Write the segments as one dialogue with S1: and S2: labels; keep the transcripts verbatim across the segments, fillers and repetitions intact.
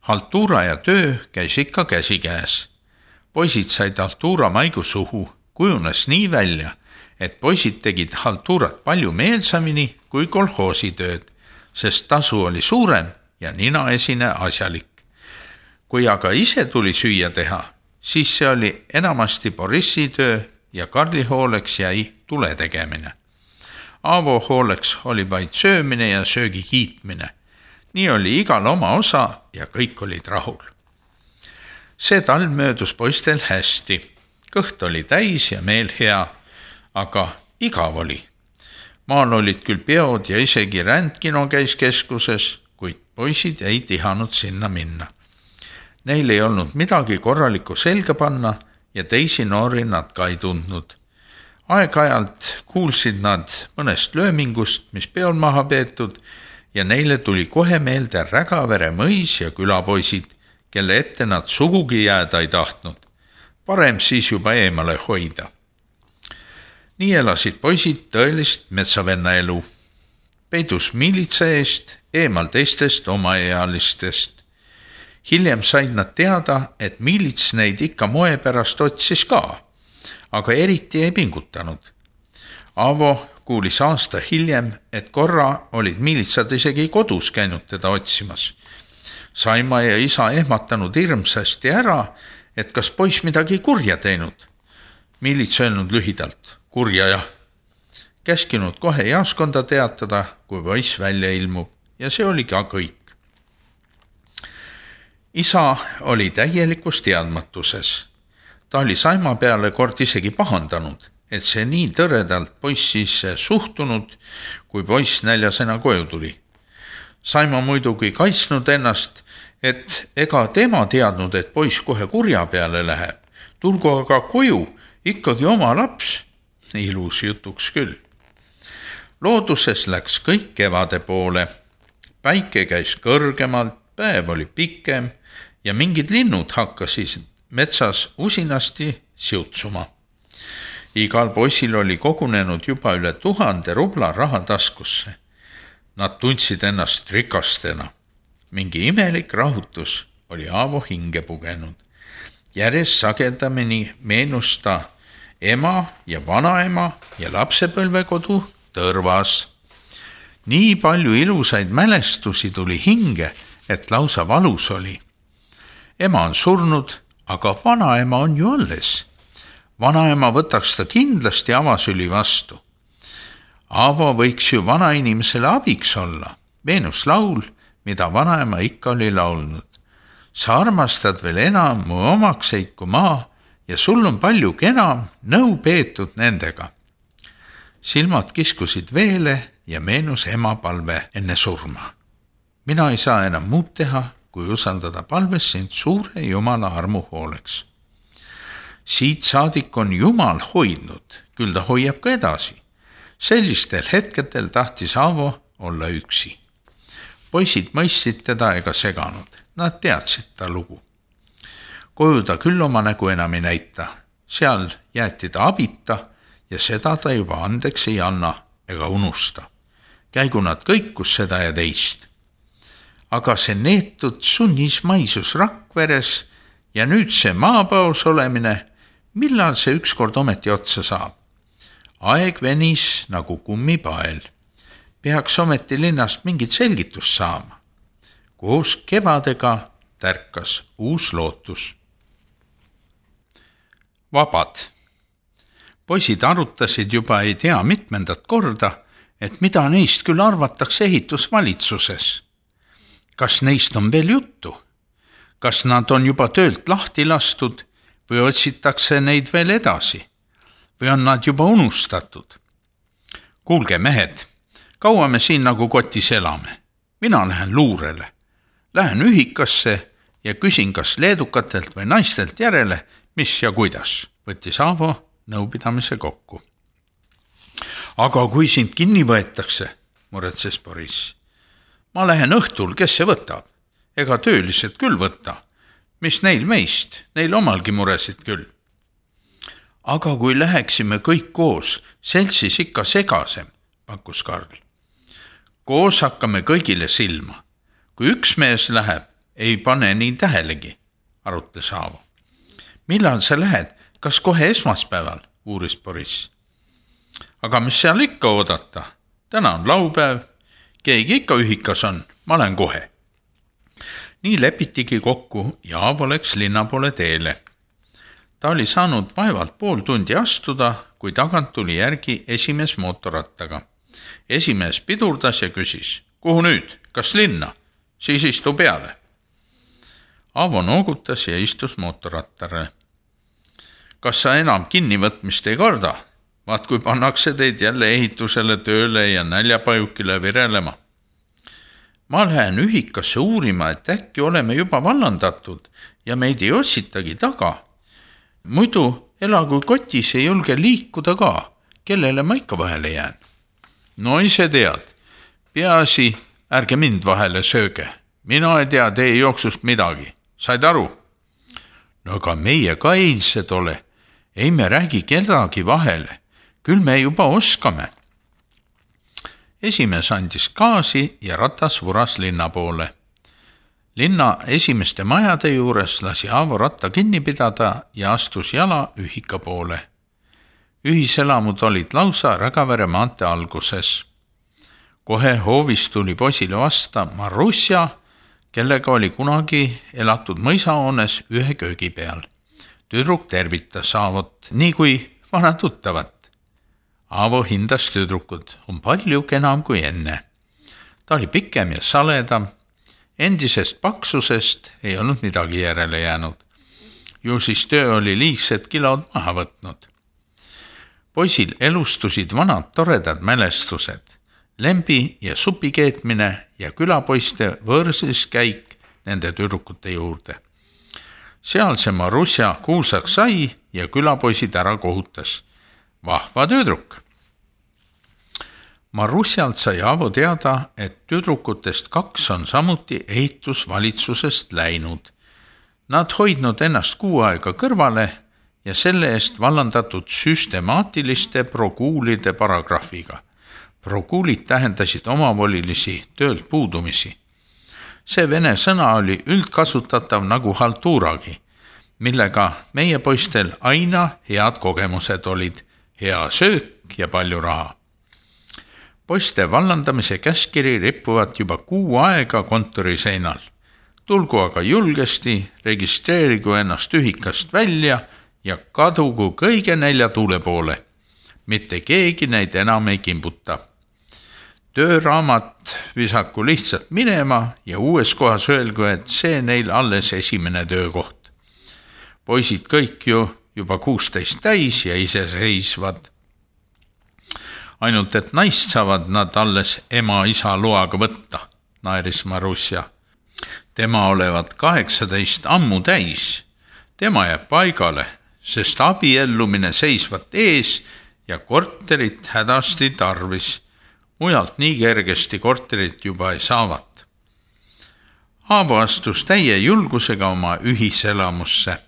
S1: Haltuura ja töö käis ikka käsikäes. Poisid said haltuura maigu suhu, kujunes nii välja, et poisid tegid haltuurat palju meelsamini kui kolhoositööd, sest tasu oli suurem ja ninaesine asjalik. Kui aga ise tuli süüa teha, siis see oli enamasti Borissi töö ja Karli hooleks jäi tule tegemine. Aavo hooleks oli vaid söömine ja söögi kiitmine. Nii oli igal oma osa ja kõik olid rahul. See talv möödus poistel hästi. Kõht oli täis ja meel hea, aga igav oli. Maal olid küll peod ja isegi rändkino käis keskuses, kuid poisid ei tihanud sinna minna. Neil ei olnud midagi korralikku selga panna ja teisi noori nad ka ei tundnud. Aeg-ajalt kuulsid nad mõnest löömingust, mis peol maha peetud, ja neile tuli kohe meelde Rägavere mõis ja külapoisid, kelle ette nad sugugi jääda ei tahtnud. Parem siis juba eemale hoida. Nii elasid poisid tõelist metsavenna elu. Peidus miilitsa eest, eemal teistest omaealistest. Hiljem said nad teada, et miilits neid ikka moe pärast otsis ka, aga eriti ei pingutanud. Aavo kuulis aasta hiljem, et korra olid miilitsad isegi kodus käinud teda otsimas. Saima ja isa ehmatanud hirmsasti ära, et kas poiss midagi kurja teinud. Miilits öelnud lühidalt, kurja jah. Käskinud kohe jaoskonda teatada, kui poiss välja ilmub, ja see oli ka kõik. Isa oli täielikus teadmatuses. Ta oli Saima peale kord isegi pahandanud, et see nii tõredalt poississe suhtunud, kui poiss näljasena koju tuli. Saima muidugi kaitsnud ennast, et ega tema teadnud, et poiss kohe kurja peale läheb. Tulgu aga koju ikkagi oma laps. Ilus jutuks küll. Looduses läks kõik kevade poole. Päike käis kõrgemalt, päev oli pikem ja mingid linnud hakkasid metsas usinasti siutsuma. Igal poisil oli kogunenud juba üle tuhande rubla raha taskusse. Nad tundsid ennast rikastena. Mingi imelik rahutus oli Aavo hinge pugenud. Järjest sagedamini meenus ta ema ja vanaema ja lapsepõlvekodu Tõrvas. Nii palju ilusaid mälestusi tuli hinge, et lausa valus oli. Ema on surnud, aga vanaema on ju alles. Vanaema võtaks ta kindlasti avasüli vastu. Aavo võiks ju vanainimesele abiks olla. Meenus laul, mida vanaema ikka oli laulnud. Sa armastad veel enam mu omakseid kui maa ja sul on palju kenam nõu peetud nendega. Silmad kiskusid veele ja meenus ema palve enne surma. Mina ei saa enam muud teha, kui usaldada palves sind suure Jumala armu hooleks. Siit saadik on Jumal hoidnud, küll ta hoiab ka edasi. Sellistel hetkedel tahtis Aavo olla üksi. Poisid mõistsid teda ega seganud. Nad teadsid ta lugu. Koju ta küll oma nägu enam ei näita. Seal jäeti ta abita ja seda ta juba andeks ei anna ega unusta. Käigu nad kõikus seda ja teist. Aga see neetud sunnis maisus Rakveres ja nüüd see maapaus olemine, millal see ükskord ometi otsa saab? Aeg venis nagu kummipael. Peaks ometi linnast mingit selgitust saama. Koos kevadega tärkas uus lootus. Vabad. Poisid arutasid juba ei tea mitmendat korda, et mida neist küll arvatakse ehitusvalitsuses. Kas neist on veel juttu? Kas nad on juba töölt lahti lastud või otsitakse neid veel edasi? Või on nad juba unustatud? Kuulge mehed, kaua me siin nagu kotis elame? Mina lähen luurele. Lähen ühikasse ja küsin kas leedukatelt või naistelt järele, mis ja kuidas, võttis Aavo nõupidamise kokku. Aga kui sind kinni võetakse, muretses Boris. Ma lähen õhtul, kes see võtab? Ega töölised küll võtta. Mis neil meist? Neil omalgi muresid küll. Aga kui läheksime kõik koos, seltsis ikka segasem, pakkus Karl. Koos hakkame kõigile silma. Kui üks mees läheb, ei pane nii tähelegi, arutles Aavo. Millal sa lähed? Kas kohe esmaspäeval? Uuris Boriss. Aga mis seal ikka oodata? Täna on laupäev, keegi ikka ühikas on, ma lähen kohe. Nii lepitigi kokku ja Aavo läks linna poole teele. Ta oli saanud vaevalt pool tundi astuda, kui tagant tuli järgi esimees mootorrattaga. Esimees pidurdas ja küsis, kuhu nüüd, kas linna? Siis istu peale. Aavo noogutas ja istus mootorrattare. Kas sa enam kinnivõtmist ei karda? Vaat kui pannakse teid jälle ehitusele tööle ja näljapajukile virelema. Ma lähen ühikasse uurima, et äkki oleme juba vallandatud ja meid ei otsitagi taga. Muidu elagu kotis ei julge liikuda ka, kellele ma ikka vahele jään. No ise tead, peaasi, ärge mind vahele sööge. Mina ei tea teie jooksust midagi. Said aru? No aga meie ka eilsed ole. Ei me räägi kedagi vahele. Küll me juba oskame. Esimees andis gaasi ja ratas vuras linna poole. Linna esimeste majade juures lasi Aavo ratta kinni pidada ja astus jala ühika poole. Ühiselamud olid lausa Rägavere maante alguses. Kohe hoovis tuli poisile vasta Marusja, kellega oli kunagi elatud mõisahoones ühe köögi peal. Tüdruk tervitas Aavot, nii kui vana tuttavat. Aavo hindas tüdrukud, on palju kenam kui enne. Ta oli pikem ja saledam. Endisest paksusest ei olnud midagi järele jäänud. Ju siis töö oli liigsed kilod maha võtnud. Poisil elustusid vanad toredad mälestused, lembi ja supi keetmine ja külapoiste võõrsis käik nende tüdrukute juurde. Seal see Marusja kuulsaks sai ja külapoisid ära kohutas. Vahva tüdruk. Marusjalt sai Aavo teada, et tüdrukutest kaks on samuti ehitusvalitsusest läinud. Nad hoidnud ennast kuu aega kõrvale ja selle eest vallandatud süstemaatiliste prokuulide paragrahviga. Prokuulid tähendasid omavolilisi töölt puudumisi. See vene sõna oli üldkasutatav nagu haltuuragi, millega meie poistel aina head kogemused olid, hea söök ja palju raha. Poiste vallandamise käskiri rippuvad juba kuu aega kontori seinal. Tulgu aga julgesti, registreerigu ennast ühikast välja ja kadugu kõige nelja tuule poole. Mitte keegi neid enam ei kimbuta. Tööraamat visaku lihtsalt minema ja uues kohas öelgu, et see neil alles esimene töökoht. Poisid kõik ju juba kuusteist täis ja iseseisvad. Ainult, et naist saavad nad alles ema-isa loaga võtta, naeris Marusja. Tema olevat kaheksateist ammu täis. Tema jääb paigale, sest abiellumine seisvat ees ja korterit hädasti tarvis. Mujalt nii kergesti korterit juba ei saavat. Aavo astus täie julgusega oma ühiselamusse.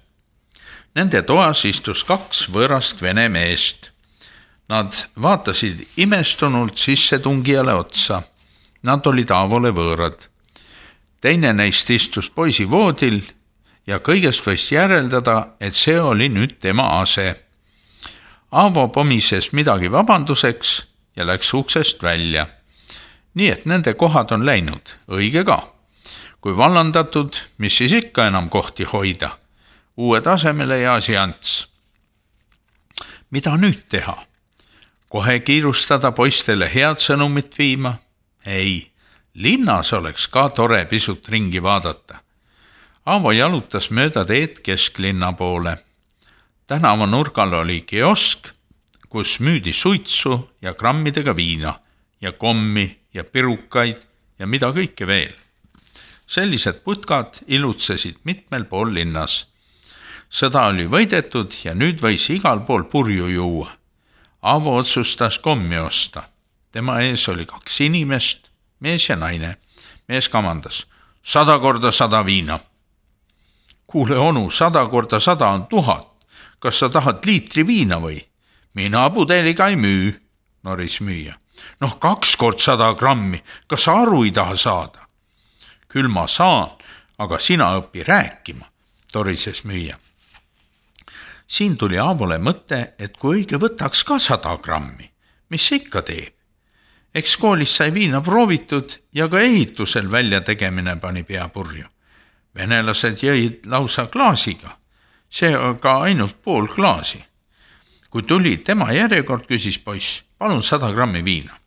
S1: Nende toas istus kaks võõrast vene meest. Nad vaatasid imestunult sissetungijale otsa. Nad olid Aavole võõrad. Teine neist istus poisi voodil ja kõigest võis järeldada, et see oli nüüd tema ase. Aavo pomises midagi vabanduseks ja läks uksest välja. Nii et nende kohad on läinud, õige ka. Kui vallandatud, mis siis ikka enam kohti hoida? Uue tasemele ja asiants. Mida nüüd teha? Kohe kiirustada poistele head sõnumit viima? Ei, linnas oleks ka tore pisut ringi vaadata. Aavo jalutas mööda teed kesklinna poole. Tänava nurgal oli kiosk, kus müüdi suitsu ja grammidega viina ja kommi ja pirukaid ja mida kõike veel. Sellised putkad ilutsesid mitmel pool linnas. Sõda oli võidetud ja nüüd võis igal pool purju juua. Aavo otsustas kommi osta. Tema ees oli kaks inimest, mees ja naine. Mees kamandas, sada korda sada viina. Kuule onu, sada korda sada on tuhat. Kas sa tahad liitri viina või? Mina pudeliga ei müü, noris müüja. Noh, kaks kord sada grammi, kas sa aru ei taha saada? Küll ma saan, aga sina õpi rääkima, torises müüja. Siin tuli Aavole mõte, et kui õige võtaks ka sada grammi, mis see ikka teeb? Eks koolis sai viina proovitud ja ka ehitusel välja tegemine pani pea purju. Venelased jõid lausa klaasiga, see ka ainult pool klaasi. Kui tuli tema järjekord, küsis poiss, palun sada grammi viina.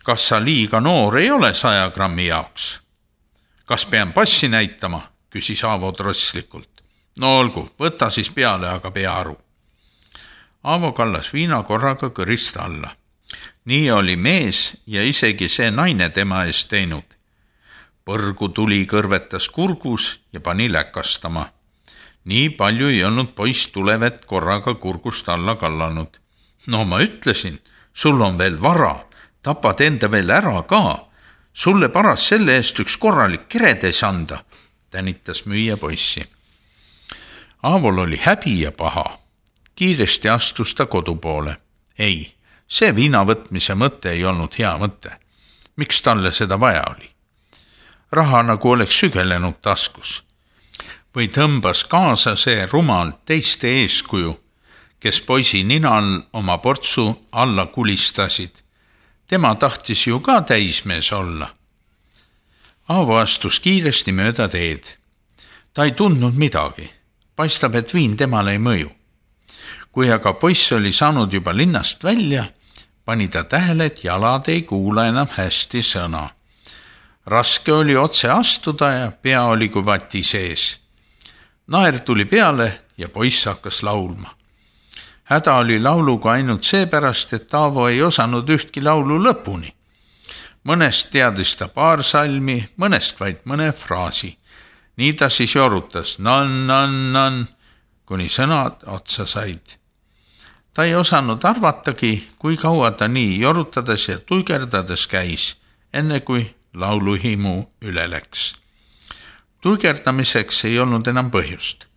S1: Kas sa liiga noor ei ole saja grammi jaoks? Kas pean passi näitama, küsis Aavo trosslikult. No olgu, võta siis peale, aga pea aru. Aavo kallas viina korraga kõrist alla. Nii oli mees ja isegi see naine tema eest teinud. Põrgu tuli kõrvetas kurgus ja pani läkastama. Nii palju ei olnud poiss tulevet korraga kurgust alla kallanud. No ma ütlesin, sul on veel vara, tapad enda veel ära ka. Sulle paras selle eest üks korralik keredes anda, tänitas müüja poissi. Aavol oli häbi ja paha. Kiiresti astus ta kodu poole. Ei, see viina võtmise mõte ei olnud hea mõte. Miks talle seda vaja oli? Raha nagu oleks sügelenud taskus. Või tõmbas kaasa see rumal teiste eeskuju, kes poisi ninal oma portsu alla kulistasid. Tema tahtis ju ka täismees olla. Aavo astus kiiresti mööda teed. Ta ei tundnud midagi. Paistab, et viin temale ei mõju. Kui aga poiss oli saanud juba linnast välja, pani ta tähele, et jalad ei kuula enam hästi sõna. Raske oli otse astuda ja pea oli kui vati sees. Naer tuli peale ja poiss hakkas laulma. Häda oli lauluga ainult seepärast, et Aavo ei osanud ühtki laulu lõpuni. Mõnest teadis ta paar salmi, mõnest vaid mõne fraasi. Nii ta siis jorutas nan, nan, nan, kuni sõnad otsa said. Ta ei osanud arvatagi, kui kaua ta nii jorutades ja tuigerdades käis, enne kui lauluhimu üle läks. Tuigerdamiseks ei olnud enam põhjust.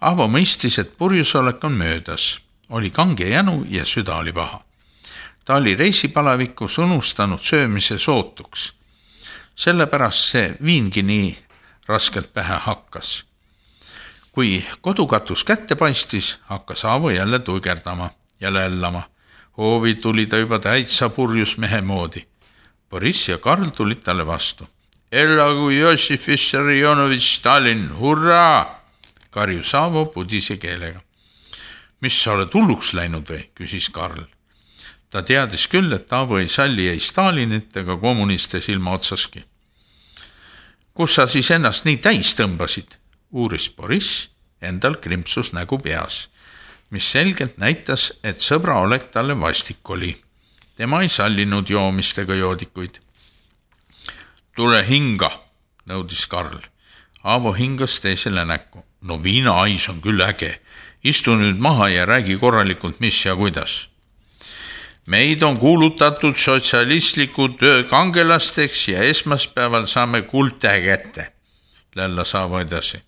S1: Aavo mõistis, et purjusolek on möödas. Oli kange jänu ja süda oli paha. Ta oli reisipalavikus unustanud söömise sootuks. Sellepärast see viingi nii raskelt pähe hakkas. Kui kodukatus kätte paistis, hakkas Aavo jälle tuigerdama ja lällama. Hoovi tuli ta juba täitsa purjus mehe moodi. Boris ja Karl tulid talle vastu. Elagu Jossif Vissarionovitš Stalin, hurraa! Karjus Aavo pudise keelega. Mis sa oled hulluks läinud või, küsis Karl. Ta teadis küll, et Aavo ei salli ei Stalinit ega kommuniste silma otsaski. Kus sa siis ennast nii täis tõmbasid, uuris Boris, endal krimpsus nägu peas, mis selgelt näitas, et sõbra olek talle vastik oli. Tema ei sallinud joomistega joodikuid. Tule hinga, nõudis Karl. Aavo hingas teisele näkku. No viina ais on küll äge. Istu nüüd maha ja räägi korralikult, mis ja kuidas. Meid on kuulutatud sotsialistliku töö kangelasteks ja esmaspäeval saame kuldtähe kätte. Lällas Aavo edasi.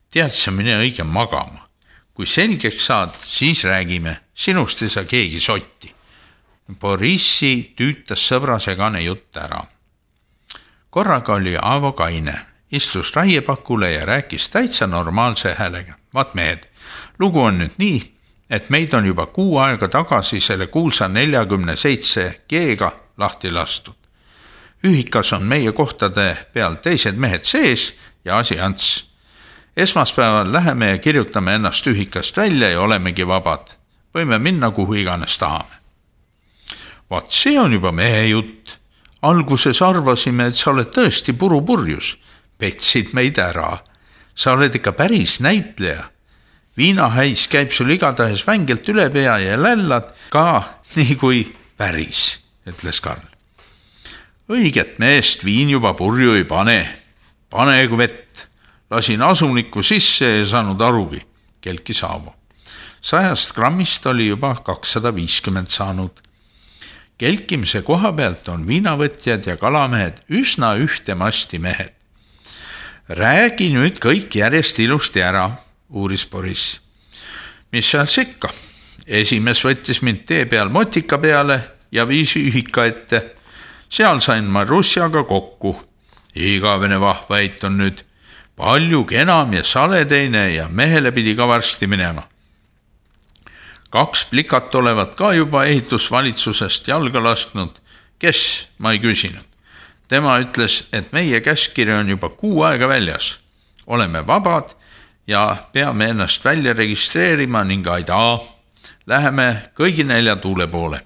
S1: Tead sa, mine õige magama. Kui selgeks saad, siis räägime. Sinust ei saa keegi sotti. Borissi tüütas sõbra segane jutt ära. Korraga oli Aavo kaine. Istus raiepakule ja rääkis täitsa normaalse häälega. Vaat mehed, lugu on nüüd nii, et meid on juba kuu aega tagasi selle kuulsa neljakümne seitse G-ga lahti lastud. Ühikas on meie kohtade peal teised mehed sees ja asi ants. Esmaspäeval läheme ja kirjutame ennast ühikast välja ja olemegi vabad. Võime minna kuhu iganes tahame. Vaat see on juba mehe jutt. Alguses arvasime, et sa oled tõesti purupurjus. Petsid meid ära. Sa oled ikka päris näitleja. Viinahäis käib sul igatahes vängelt üle pea ja lällad ka nii kui päris, ütles Karl. Õiget meest viin juba purju ei pane. Panegu vett. Lasin asunikku sisse ja saanud arugi, kelkis Aavo. Sajast grammist oli juba kakssada viiskümmend saanud. Kelkimise koha pealt on viinavõtjad ja kalamehed üsna ühtemasti mehed. Räägi nüüd kõik järjest ilusti ära, uuris Boris. Mis seal sikka? Esimees võttis mind tee peal motika peale ja viis ühika ette. Seal sain ma Russjaga kokku. igavene vahvait on nüüd palju kenam ja saleteine ja mehele pidi ka varsti minema. Kaks plikat olevat ka juba ehitusvalitsusest jalga lasknud. Kes, ma ei küsinud. Tema ütles, et meie käskiri on juba kuu aega väljas. Oleme vabad ja peame ennast välja registreerima ning aidaa. Läheme kõigi nelja tuule poole.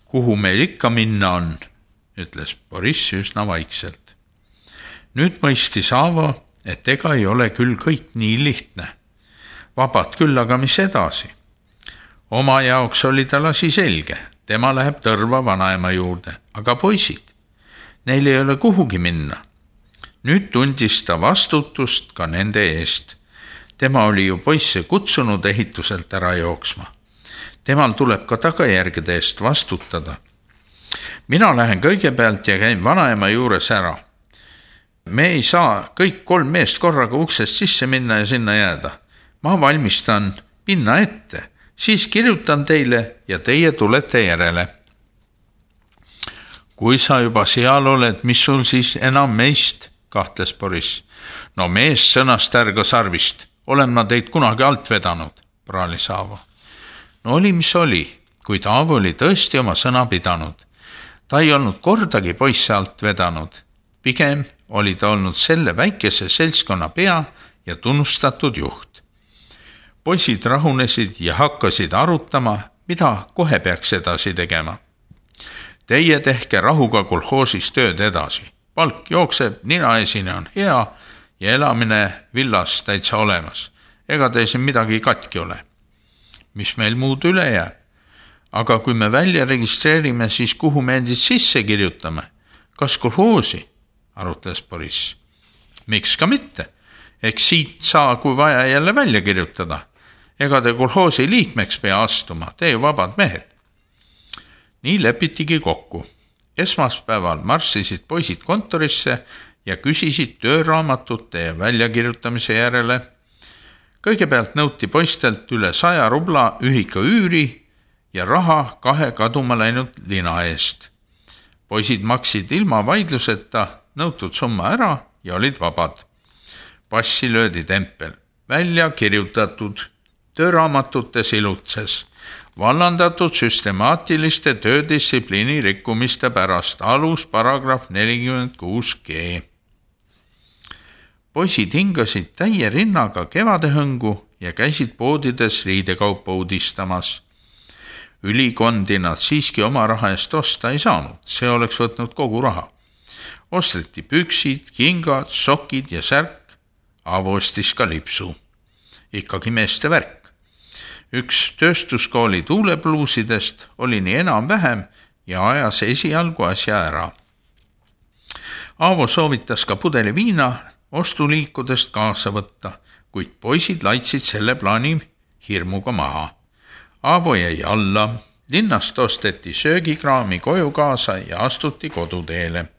S1: Kuhu meil ikka minna on, ütles Boriss üsna vaikselt. Nüüd mõistis Aavo, et ega ei ole küll kõik nii lihtne. Vabad küll, aga mis edasi? Oma jaoks oli tal asi selge. Tema läheb Tõrva vanaema juurde, aga poisid, neil ei ole kuhugi minna. Nüüd tundis ta vastutust ka nende eest. Tema oli ju poisse kutsunud ehituselt ära jooksma. Temal tuleb ka tagajärgede eest vastutada. Mina lähen kõigepealt ja käin vanaema juures ära. Me ei saa kõik kolm meest korraga uksest sisse minna ja sinna jääda. Ma valmistan pinna ette. Siis kirjutan teile ja teie tulete järele. Kui sa juba seal oled, mis sul siis enam meist, kahtles Boriss. No mees sõnast ärga sarvist, olen ma teid kunagi alt vedanud, praalis Aavo. No oli, mis oli, kuid Aavo oli tõesti oma sõna pidanud. Ta ei olnud kordagi poisse alt vedanud. Pigem oli ta olnud selle väikese seltskonna pea ja tunnustatud juht. Poisid rahunesid ja hakkasid arutama, mida kohe peaks edasi tegema. Teie tehke rahuga kolhoosis tööd edasi. Palk jookseb, ninaesine on hea ja elamine villas täitsa olemas. Ega te siin midagi katki ole. Mis meil muud üle jääb? Aga kui me välja registreerime, siis kuhu me endid sisse kirjutame? Kas kolhoosi? Arutles Boriss. Miks ka mitte? Eks siit saa, kui vaja jälle välja kirjutada. Ega te kolhoosi liikmeks pea astuma, te ju vabad mehed. Nii lepitigi kokku. Esmaspäeval marssisid poisid kontorisse ja küsisid tööraamatute ja väljakirjutamise järele. Kõigepealt nõuti poistelt üle saja rubla ühika üüri ja raha kahe kaduma läinud lina eest. Poisid maksid ilma vaidluseta nõutud summa ära ja olid vabad. Passi löödi tempel, välja kirjutatud tööraamatutes ilutses, vallandatud süstemaatiliste töödistsipliini rikkumiste pärast, alus paragrahv nelikümmend kuus G. Poisid hingasid täie rinnaga kevadehõngu ja käisid poodides riidekaupa uudistamas. Ülikondi nad siiski oma raha eest osta ei saanud, see oleks võtnud kogu raha. Osteti püksid, kingad, sokid ja särk, Aavo ostis ka lipsu. Ikkagi meeste värk. Üks tööstuskooli tuulepluusidest oli nii enam vähem ja ajas esialgu asja ära. Aavo soovitas ka pudeli viina ostuliikudest kaasa võtta, kuid poisid laitsid selle plaani hirmuga maha. Aavo jäi alla, linnast osteti söögikraami koju kaasa ja astuti koduteele.